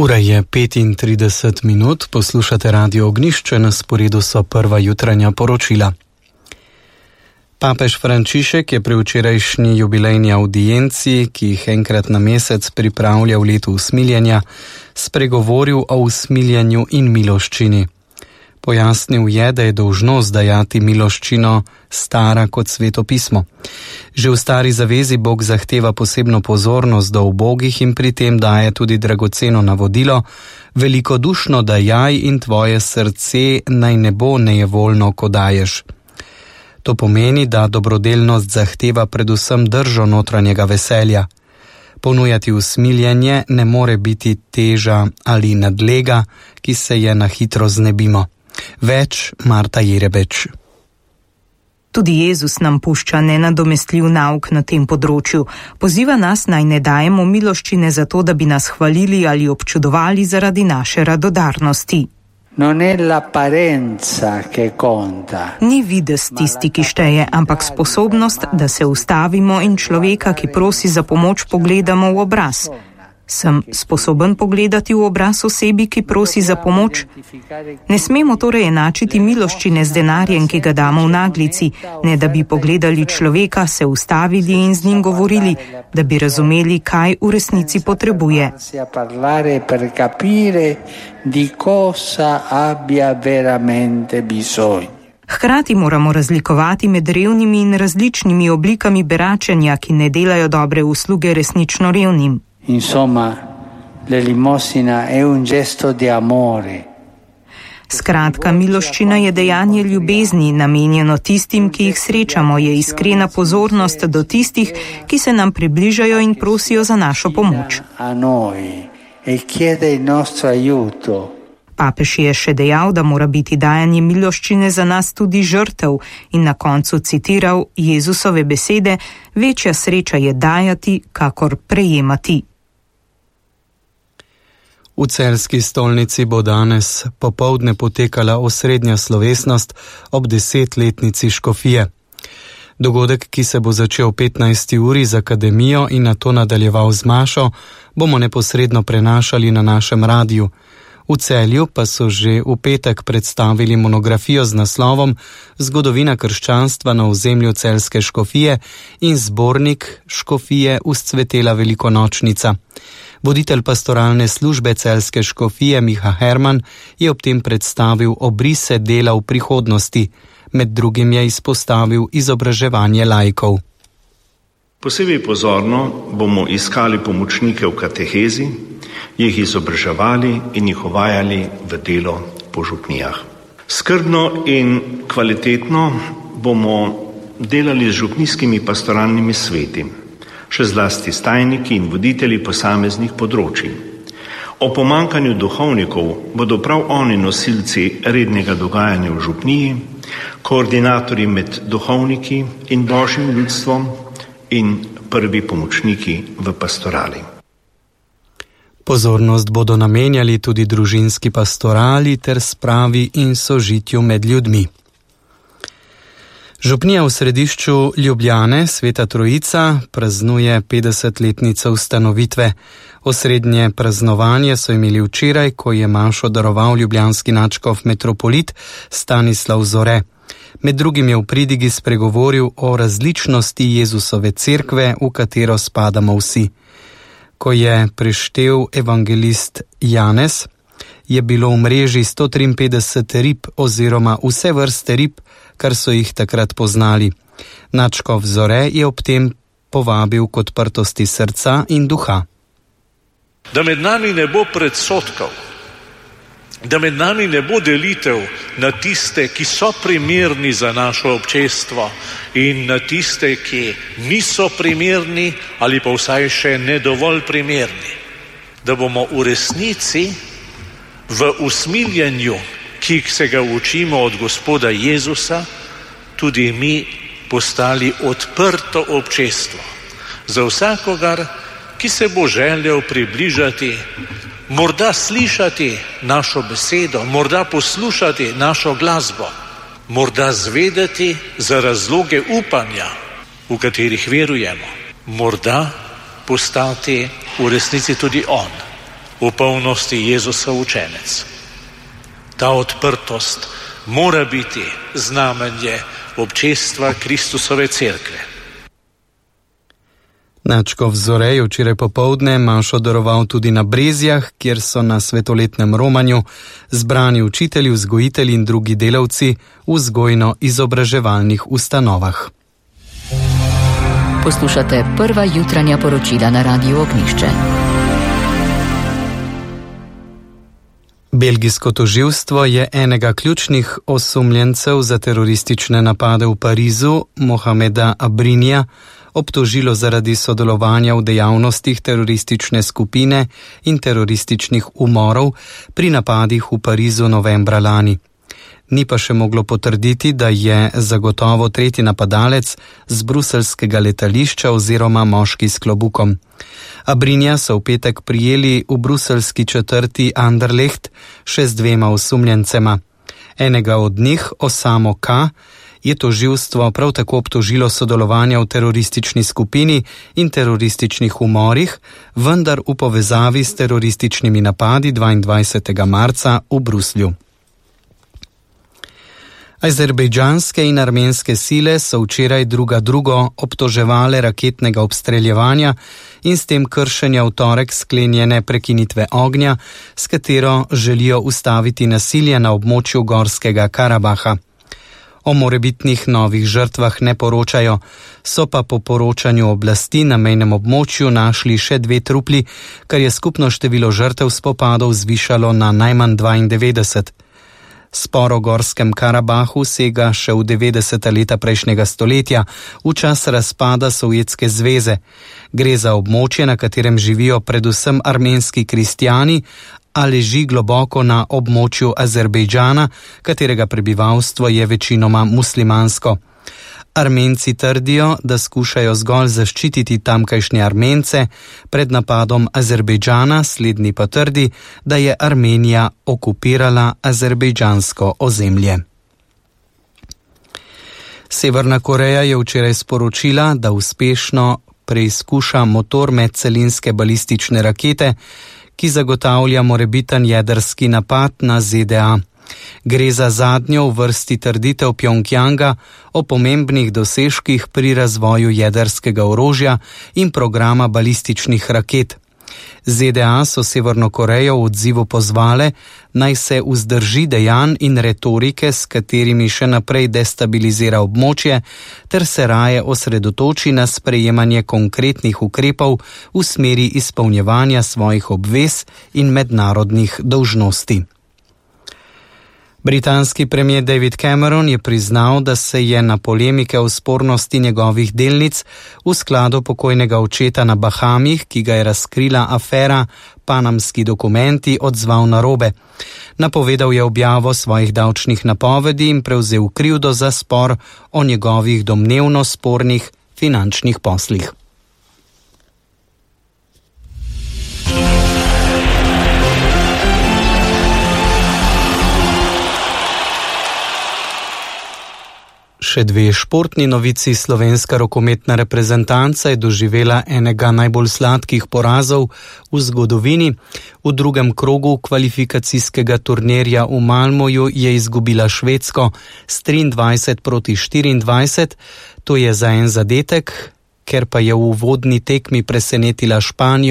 Ura je 35 minut, poslušate Radio Ognjišče, na sporedu so prva jutranja poročila. Papež Frančišek je pri včerajšnji jubilejni audienci, ki jih enkrat na mesec pripravlja v letu usmiljenja, spregovoril o usmiljenju in miloščini. Pojasnil je, da je dolžnost dajati miloščino stara kot Sveto pismo. Že v Stari zavezi Bog zahteva posebno pozornost do ubogih in pri tem daje tudi dragoceno navodilo: velikodušno dajaj in tvoje srce naj ne bo nejevoljno, ko daješ. To pomeni, da dobrodelnost zahteva predvsem držo notranjega veselja. Ponujati usmiljenje ne more biti teža ali nadlega, ki se je na hitro znebimo. Več Marta Jerebeč. Tudi Jezus nam pušča nenadomestljiv nauk na tem področju. Poziva nas, naj ne dajemo miloščine zato, da bi nas hvalili ali občudovali zaradi naše radodarnosti. Ni videz tisti, ki šteje, ampak sposobnost, da se ustavimo in človeka, ki prosi za pomoč, pogledamo v obraz. Sem sposoben pogledati v obraz osebi, ki prosi za pomoč? Ne smemo torej enačiti miloščine z denarjem, ki ga damo v naglici, ne da bi pogledali človeka, se ustavili in z njim govorili, da bi razumeli, kaj v resnici potrebuje. Hkrati moramo razlikovati med revnimi in različnimi oblikami beračenja, ki ne delajo dobre usluge resnično revnim. Insomma, l'elemosina è un gesto di amore. Skratka, miloščina je dejanje ljubezni, namenjeno tistim, ki jih srečamo, je iskrena pozornost do tistih, ki se nam približajo in prosijo za našo pomoč. Papež je še dejal, da mora biti dajanje miloščine za nas tudi žrtev in na koncu citiral Jezusove besede: večja sreča je dajati, kakor prejemati. V celjski stolnici bo danes popoldne potekala osrednja slovesnost ob 10-letnici škofije. Dogodek, ki se bo začel 15. uri z akademijo in nato nadaljeval z mašo, bomo neposredno prenašali na našem radiju. V Celju pa so že v petek predstavili monografijo z naslovom Zgodovina krščanstva na ozemlju celjske škofije in zbornik Škofije vzcvetela velikonočnica. Voditelj pastoralne službe celjske škofije Miha Herman je ob tem predstavil obrise dela v prihodnosti. Med drugim je izpostavil izobraževanje laikov. Posebej pozorno bomo iskali pomočnike v katehezi, jih izobraževali in jih uvajali v delo po župnijah. Skrbno in kvalitetno bomo delali z župnijskimi pastoralnimi sveti, še zlasti s tajniki in voditelji posameznih področij. O pomankanju duhovnikov bodo prav oni nosilci rednega dogajanja v župniji, koordinatorji med duhovniki in božjim ljudstvom in prvi pomočniki v pastorali. Pozornost bodo namenjali tudi družinski pastorali ter spravi in sožitju med ljudmi. Župnija v središču Ljubljane, Sveta Trojica, praznuje 50-letnico ustanovitve. Osrednje praznovanje so imeli včeraj, ko je mašo daroval ljubljanski nadškof metropolit Stanislav Zore. Med drugim je v pridigi spregovoril o različnosti Jezusove cerkve, v katero spadamo vsi. Ko je preštel evangelist Janez, je bilo v mreži 153 rib oziroma vse vrste rib, kar so jih takrat poznali. Nadškof Zore je ob tem povabil k odprtosti srca in duha. Da med nami ne bo predsodkov, da med nami ne bo delitev na tiste, ki so primerni za naše občestvo in na tiste, ki niso primerni ali pa vsaj še ne dovolj primerni. Da bomo v resnici v usmiljenju, ki se ga učimo od Gospoda Jezusa, tudi mi postali odprto občestvo za vsakogar, ki se bo želel približati, morda slišati našo besedo, morda poslušati našo glasbo, morda zvedeti za razloge upanja, v katerih verujemo, morda postati v resnici tudi on v polnosti Jezusov učenec. Ta odprtost mora biti znamenje občestva Kristusove cerkve. Nadškof Zorej je včeraj popoldne mašo daroval tudi na Brezjah, kjer so na svetoletnem romanju zbrani učitelji, vzgojitelji in drugi delavci v vzgojno-izobraževalnih ustanovah. Poslušate prva jutranja poročila na Radiu Ognjišče. Belgijsko tožilstvo je enega ključnih osumljencev za teroristične napade v Parizu, Mohameda Abrinija, obtožilo zaradi sodelovanja v dejavnostih teroristične skupine in terorističnih umorov pri napadih v Parizu novembra lani. Ni pa še moglo potrditi, da je zagotovo tretji napadalec z bruseljskega letališča oziroma moški s klobukom. Abrinja so v petek prijeli v bruseljski četrti Anderlecht še z dvema osumljencema. Enega od njih, Osamo K., je tožilstvo prav tako obtožilo sodelovanja v teroristični skupini in terorističnih umorih, vendar v povezavi s terorističnimi napadi 22. marca v Bruslju. Azerbejdžanske in armenske sile so včeraj drugo obtoževale raketnega obstreljevanja in s tem kršenja v torek sklenjene prekinitve ognja, s katero želijo ustaviti nasilje na območju Gorskega Karabaha. O morebitnih novih žrtvah ne poročajo, so pa po poročanju oblasti na mejnem območju našli še 2 trupli, kar je skupno število žrtev spopadov zvišalo na najmanj 92. Spor o Gorskem Karabahu sega še v 90. leta prejšnjega stoletja, v čas razpada Sovjetske zveze. Gre za območje, na katerem živijo predvsem armenski kristjani, a leži globoko na območju Azerbejdžana, katerega prebivalstvo je večinoma muslimansko. Armenci trdijo, da skušajo zgolj zaščititi tamkajšnje Armence pred napadom Azerbejdžana, slednji pa trdi, da je Armenija okupirala azerbejdžansko ozemlje. Severna Koreja je včeraj sporočila, da uspešno preizkuša motor medcelinske balistične rakete, ki zagotavlja morebiten jedrski napad na ZDA. Gre za zadnjo v vrsti trditev Pjongjanga o pomembnih dosežkih pri razvoju jedrskega orožja in programa balističnih raket. ZDA so Severno Korejo v odzivu pozvale, naj se vzdrži dejanj in retorike, s katerimi še naprej destabilizira območje, ter se raje osredotoči na sprejemanje konkretnih ukrepov v smeri izpolnjevanja svojih obvez in mednarodnih dolžnosti. Britanski premier David Cameron je priznal, da se je na polemike o spornosti njegovih delnic v skladu pokojnega očeta na Bahamih, ki ga je razkrila afera Panamski dokumenti, odzval narobe. Napovedal je objavo svojih davčnih napovedi in prevzel krivdo za spor o njegovih domnevno spornih finančnih poslih. Še 2 športni novici. Slovenska rokometna reprezentanca je doživela enega najbolj sladkih porazov v zgodovini. V drugem krogu kvalifikacijskega turnirja v Malmoju je izgubila Švedsko s 23-24. To je za en zadetek, ker pa je v uvodni tekmi presenetila Španijo